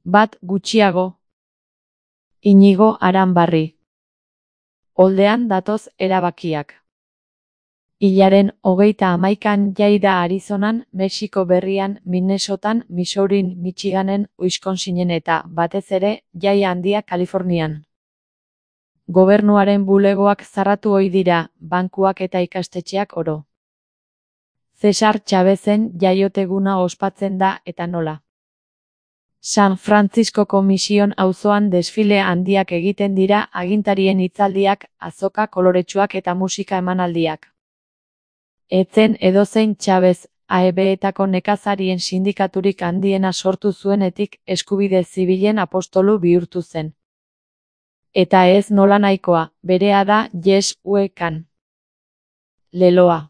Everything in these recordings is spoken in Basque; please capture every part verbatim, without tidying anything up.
Bat gutxiago. Inigo Aranbarri. Oldean datoz erabakiak. Hilaren hogeita hamaikan jai da Arizonan, Mexiko Berrian, Minnesotan, Missourin, Michiganen, Wisconsinen eta, batez ere, jai handia Kalifornian. Gobernuaren bulegoak zarratu ohi dira, bankuak eta ikastetxeak oro. Cesar Chavezen jaioteguna ospatzen da eta nola. San Franciscoko Mission auzoan desfile handiak egiten dira, agintarien hitzaldiak, azoka koloretsuak eta musika emanaldiak. Etzen edozein Chavez, A E B-etako nekazarien sindikaturik handiena sortu zuenetik eskubide zibilen apostolu bihurtu zen. Eta ez nola nahikoa, berea da Yes We Can. Leloa.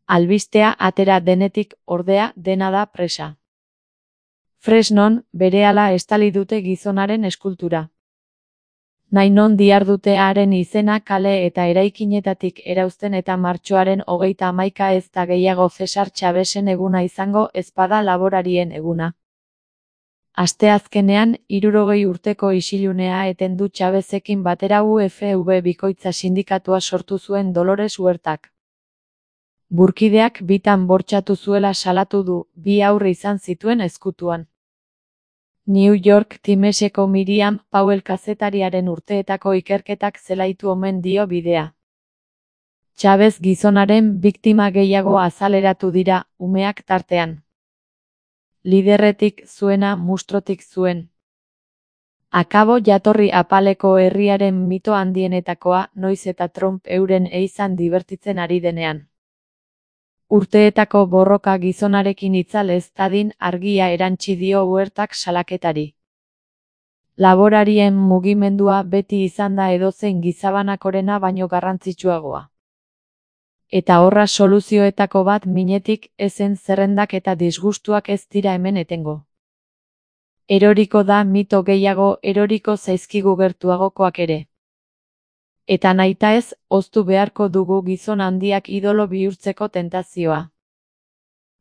Albistea atera denetik, ordea, dena da presa. Fresnon, berehala estali dute gizonaren eskultura. Nahi non dihardute haren izena kale eta eraikinetatik erauzten eta martxoaren hogeita hamaika ez da gehiago Cesar Chavezen eguna izango ezpada laborarien eguna. Asteazkenean, hirurogei urteko isilunea eten du Chavezekin batera U F V bikoitza sindikatua sortu zuen Dolores Huertak. Burkideak bitan bortxatu zuela salatu du, bi aurre izan zituen ezkutuan. New York Timeseko Miriam Powell kazetariaren urteetako ikerketak zelaitu omen dio bidea. Chavez gizonaren biktima gehiago azaleratu dira, umeak tartean. Liderretik zuena mustrotik zuen. Akabo jatorri apaleko herriaren mito handienetakoa, noiz eta Trump euren eizan dibertitzen ari denean. Urteetako borroka gizonarekin itzal ez dadin argia erantsi dio Huertak salaketari. Laborarien mugimendua beti izan da edozein gizabanakorena baino garrantzitsuagoa. Eta horra soluzioetako bat minetik ezen zerrendak eta disgustuak ez dira hemen etengo. Eroriko da mito gehiago, eroriko zaizkigu gertuagokoak ere. Eta nahita ez, oztu beharko dugu gizon handiak idolo bihurtzeko tentazioa.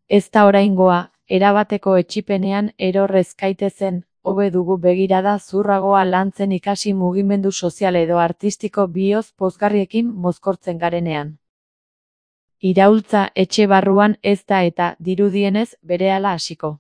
Ez da oraingoa, erabateko etxipenean erorrez gaitezen, hobe dugu begirada zurragoa lantzen ikasi mugimendu sozial edo artistiko bihotz pozgarriekin mozkortzen garenean. Iraultza etxe barruan ez da eta, dirudienez, berehala hasiko.